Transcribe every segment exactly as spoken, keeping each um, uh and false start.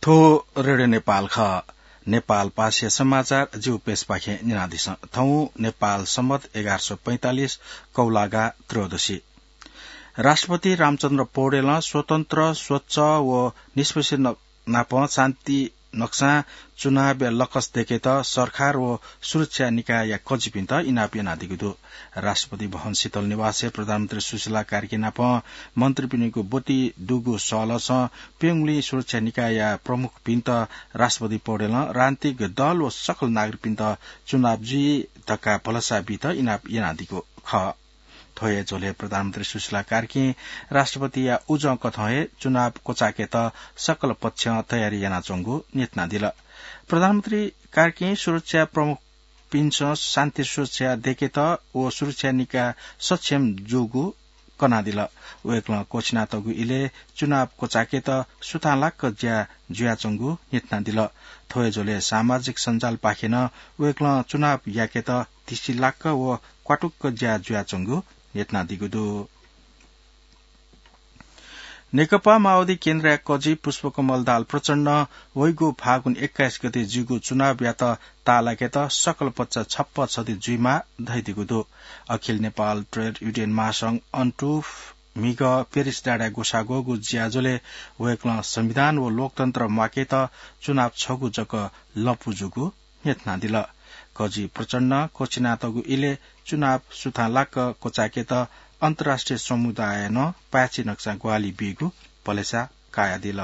थ्व रेडियो नेपाल खः। नेपाल पासया समाचार जिगु पेजपाखें न्यनादिसँ। थौं नेपाल सम्बत एघार सय पैंतालिस कौलागा त्रयोदशी। राष्ट्रपति रामचन्द्र पौडेलं स्वतन्त्र, स्वच्छ व निष्पक्ष न-, नाप शान्ति नक्सां चुनावया लक्स देकेत सरकार व सुरक्षा निकायया कजिपिन्त इनाप यानादीगु दु। राष्ट्रपति भवन शीतल निवासय् प्रधानमन्त्री सुशीला कार्की नाप मन्त्रीपिनिगु ब्वति दुगु सहलसं प्यंगुलिं सुरक्षा निकायया प्रमुखपिन्त राष्ट्रपति पौडेलं राजनीतिक दल व सकल नागरिकपिन्त चुनाव जुइ धकाः भलसा बीत इनाप यानादीगु खः। थ्व हे झ्वलय् प्रधानमन्त्री सुशीला कार्कीं राष्ट्रपतिया उजं कथं हे चुनाव क्वचायेकेत सकल पक्षं तयारी यानाच्वंगु न्ह्यथनादिल। प्रधानमन्त्री कार्कीं सुरक्षा प्रमुखपिन्सं शान्ति सुरक्षा देकेत व सुरक्षा निकाय सक्षम जूगु कनादिल। वय्कलं क्वछिनातःगु इलय् चुनाव क्वचायेकेत सुथांलाक्क ज्या जुयाच्वंगु न्ह्यथनादिल। थ्व हे झ्वलय् सामाजिक सञ्जालपाखें नं वय्कलं चुनाव याकेत धिसिलाक्क व क्वातुक्क ज्या जुयाच्वंगु न्ह्यथनादीगु दु। नेकपा माओवादी केन्द्रया कजि पुष्पकमल दाहाल प्रचण्डं वइगु फागुन एक्काइस गते जूगु चुनावयात ताःलाकेत सकल पक्ष छप्पा छधी जुइमाः धयादीगु दु। अखिल नेपाल ट्रेड युनियन महासंघ अन्टु म्हिगः पेरिस डाँडाय् ग्वसाः ग्वःगु ज्याझ्वलय् वय्कलं संविधान व लोकतन्त्र म्वाकेत चुनाव छगू जक लँपु जूगु न्ह्यथनादिल। कजि प्रचण्डं क्वछिनातःगु इलय् चुनाव सुथांलाक्क क्वचायेकेत अन्तर्राष्ट्रिय समुदायं नं पाय्छि नक्सां ग्वाहालि बीगु भलसा कयादिल।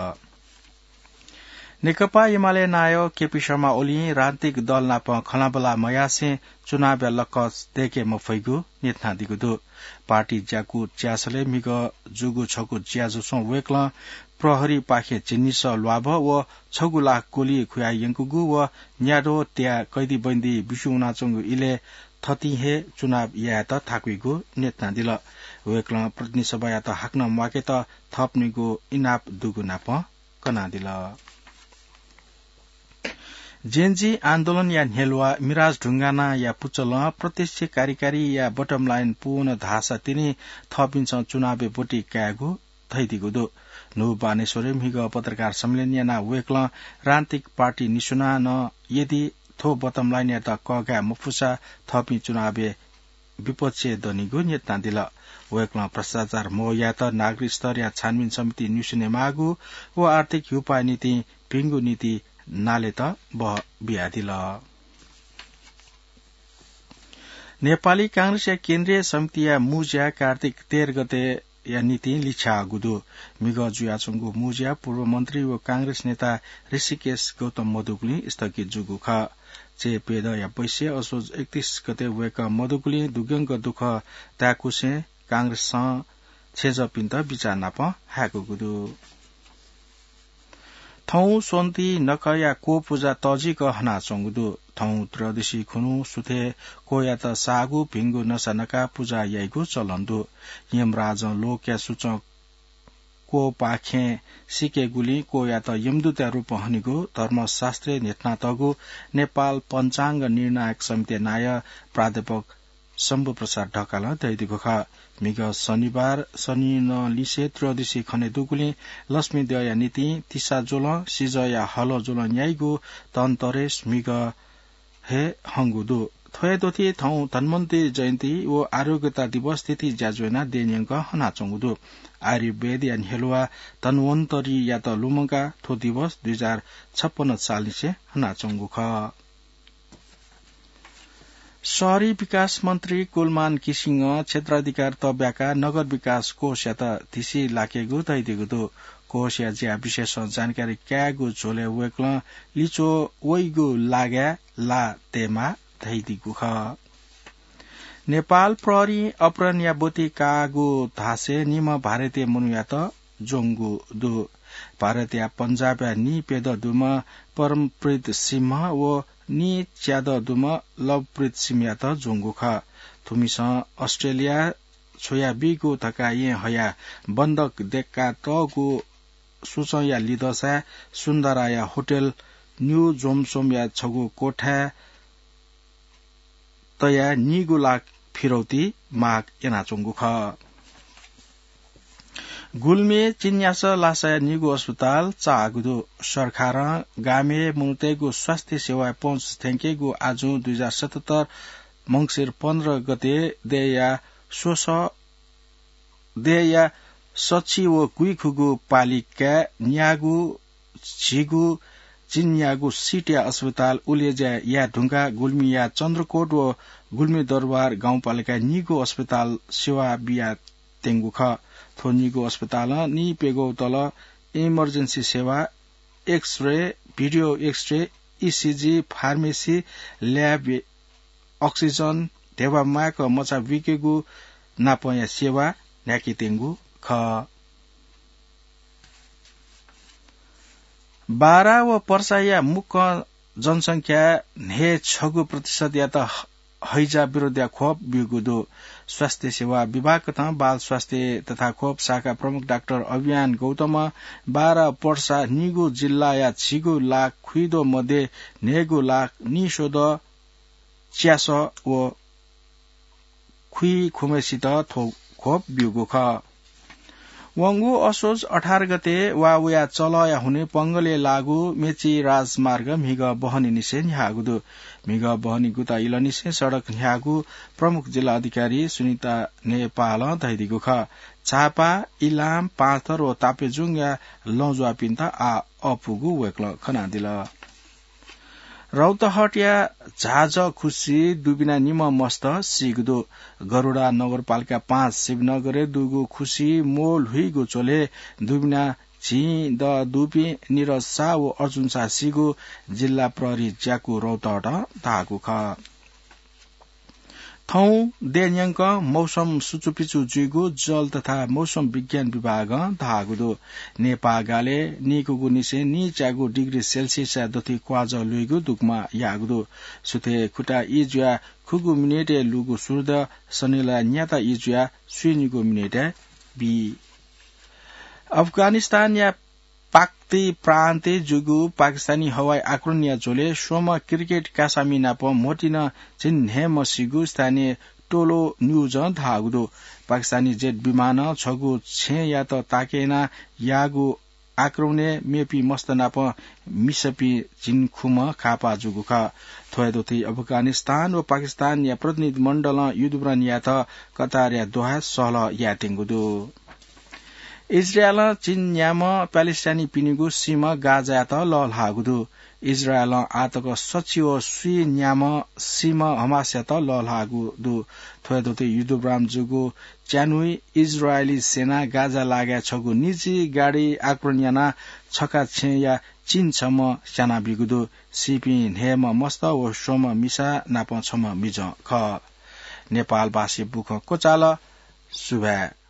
नेकपा एमाले नायः केपी शर्मा ओलीं राजनीतिक दल नाप खँल्हाबल्हा मयासें चुनावया लक्स देके मफइगु न्ह्यथनादीगु दु। पार्टी ज्याकू च्यासलय् म्हिगः जूगु छगू ज्याझ्वलय् वय्कलं प्रहरीपाखें झिंनिसः ल्वाभः व छगू लाख गोली खुयायंकूगु व न्याद्वः त्याः कैदीबन्दी बिस्युं वनाच्वंगु इलय् थथिं हे चुनाव यायेत थाकुइगु न्ह्यथनादिल। वय्कलं प्रतिनिधि सभायात हाकनं म्वाकेत थःपिनिगु इनाप दुगु नाप कनादिल। जेनजी आन्दोलनया न्ह्यलुवा मिराज ढुङ्गानाया पुचलं प्रत्यक्ष कार्यकारीया बटम लाइन पूवन धाःसा तिनि थःपिन्सं चुनावय् ब्वति कायेगु धयादीगु दु। न्हू बानेश्वरय् म्हिगः पत्रकार सम्मेलन यानाः वय्कलं राजनीतिक पार्टी निस्वनाः नं यदि थ्व बटम लाइनयात कःघाये मफुसा थःपिं चुनावय् विपक्षय् दनिगु न्ह्यथनादिल। वय्कलं भ्रष्टाचार मवयात नागरिक स्तरया छानबिन समिति निस्वनेमाःगु व आर्थिक ह्युपाया निंतिं भिंगु नीति नालेत बः बियादिल। नेपाली कांग्रेसया केन्द्रीय समितिया मू ज्या कार्तिक तेह्र गतेया निंतिं लिछ्याःगु दु। म्हिगः जुयाच्वंगु मू ज्या पूर्व मन्त्री व कांग्रेस नेता ऋषिकेश गौतम मदुगुलिं स्थगित जूगु खः। चय् प्यदँया बैँसय् असोज एकतीस गते वय्कः मदुगुलिं दुग्यंक दुःख ताय्कुसें कांग्रेसं छेँजःपिन्त बिचाः नाप हाय्कूगु दु। थौं स्वन्ति नखःया क्वपुजा तःजिक हनाच्वंगु दु। थौं त्रयोदशी खुन्हु सुथय् क्वयात साःगु भिंगु नसा नकाः पुजा याइगु चलन दु। यमराजं लोकया सुचं क्वपाखें सीकेगुलिं क्वयात यमदूतया रूपं हनीगु धर्मशास्त्रय् न्ह्यथनातःगु नेपाल पञ्चाङ्ग निर्णायक समितिया नायः प्राध्यापक शम्भु प्रसाद ढकालं धयादीगु खः। म्हिगः शनिबार शनिनं लिसे त्रयोदशी खने दुगुलिं लक्ष्मी द्यःया निंतिं तिसा ज्वलं, सिजःया हलः ज्वलं न्याइगु धनतेरस म्हिगः हे हंगु दु। थ्व हे द्वथि थौं धन्वन्तरी जयन्ती व आरोग्यता दिवस थीथी ज्याझ्वः यानाः देय् न्यंक हनाच्वंगु दु। आयुर्वेदया न्ह्यलुवा धन्वन्तरीयात लुमंकाः थ्व दिवस दुई हजार छप्पन्न सालनिसें हनाच्वंगु खः। शहरी विकास मन्त्री कुलमान घिसिङं क्षेत्राधिकार तःब्याकाः नगर विकास कोषयात धिसि लाकेगु धयादीगु दु। कोषया ज्या विषयसं जानकारी कायेगु झ्वलय् वय्कलं लिच्वः वइगु लागाय् ला तयेमाः धयादीगु खः। नेपाल प्रहरीं अपहरणया ब्वति काःगु धासें निम्ह भारतीय मनूयात ज्वंगु दु। भारतया पञ्जाबया नीप्यदँ दुम्ह परमप्रीत सिंह व नीच्यादँ दुम्ह लवप्रीत सिंहयात ज्वंगु खः। थुमिसं अस्ट्रेलिया छ्वयाबीगु धकाः येँ हयाः बन्धक दय्कातःगु सुचंया लिधंसाय् सुन्दराया होटल न्यू जोमसोमया छगू कोठाय् तयाः नीगू लाख फिरौती माग यानाच्वंगु खः। गुल्मी चिन्यास लासाया निगू अस्पताल चाःगु दु। सरकारं गामय् मनूतय्गु स्वास्थ्य सेवाय् पहुँच थ्यंकेगु आजुं दुई हजार सतहत्तर मंसिर पन्ध्र गते देय्‌या स्वस देय्‌या सछि व गुइखुगु पालिकाय् न्यागू झिगू चिन्यागू सिटया अस्पताल उलेज्या याये धुंकाः गुल्मीया चन्द्रकोट व गुल्मी दरबार गाउँपालिकाय् निगू अस्पताल सेवा बियात्यंगु खः। थ्व निगू अस्पतालं निइप्यघौ तल emergency सेवा, X-ray, video X-ray, ECG, pharmacy, lab, oxygen, ध्यबा माय्क मचा बुइकेगु नापंया सेवा न्ह्याकेत्यंगु खः। बारा व पर्साया मुक्कं जनसंख्या न्हय् छगू प्रतिशतयात ह-, हैजा विरोधया खोप ब्यूगु दु। स्वास्थ्य सेवा विभागकथं बाल स्वास्थ्य तथा खोप शाखा प्रमुख डाक्टर अभियान गौतमं बारा पर्सा निगू जिल्लाया झिगू लाख खुइदो मध्ये न्हय्गू लाख निस्वदँ च्यासः व खुइखुम्हेसित थ्व खोप ब्यूगु खः। वंगु असोज अठार गते वा वया चलःया हुने पंगलय् लाःगु मेची राजमार्ग म्हिगः बहनीनिसें न्ह्याःगु दु। म्हिगः बहनी गुता इलंनिसें सडक न्ह्याःगु प्रमुख जिल्ला अधिकारी सुनिता नेपालं धयादीगु खः। झापा, इलाम, पाँचथर व ताप्लेजुङया लँज्वाःपिन्त आः अःपुगु वय्कलं खनादिल। रौतहटया झाजः खुसि दुबिना निम्ह मस्त सीगु दु। गरुडा नगरपालिका पाँच शिवनगरय् दुगु खुसि मोल हुइगु झ्वलय् दुबिना झिं द दुपिं निरज शाह व अर्जुन शाह सीगु जिल्ला प्रहरी ज्याकू रौतहटं धाःगु खः। थौं देय् न्यंकं मौसम सुचुपिचु जुइगु जल तथा मौसम विज्ञान विभागं धाःगु दु। नेपाः गालय् नीकुगुनिसें नीच्यागू डिग्री सेल्सियसया दथुइ क्वाःजः लुइगु दुगुमा याःगु दु। सुथय् खुता ई जुयाः खुगू मिनेटय् लुगु सूर्य सनेला न्याता ई जुयाः स्वीनिगू मिनेटय् बी। अफगानिस्तानया पाक्ति प्रान्तय् जूगु पाकिस्तानी हवाई आक्रमणया झ्वलय् स्वम्ह क्रिकेट कासामि नाप म्होतिन झिंन्हय्म्ह सीगु स्थानीय टोलो न्यूजं धाःगु दु। पाकिस्तानी जेट विमानं छगू छेँयात ताके यानाः याःगु आक्रमणय् मेपिं मस्त नाप मिसापिं झिंखुम्ह घाःपाः जूगु खः। थ्वया दथुइ अफगानिस्तान व पाकिस्तानया प्रतिनिधि मण्डलं युद्धविराम यायेत कतारया दोहाय् सहलह यायेत्यंगु दु। इजरायलं चीन न्याम्ह प्यालेस्टाइनीपिनिगु सीम्ह गाजायात लःल्हाःगु दु। इजरायलं आःतक सछि व स्वीन्याम्ह सीम्ह हमासयात लःल्हाःगु दु। थ्वया दथुइ युद्धविराम जूगु च्यान्हुइ इजरायली सेनां गाजा लागाय् छगू निजी गाडी आक्रमण यानाः छखा छेँया चीन छम्ह स्यानाबीगु दु। सीपिं न्हय्म्ह मस्त व स्वम्ह मिसा नाप छम्ह मिजं खः। नेपालभाषी बुखँ क्वचाल। सुभाय्।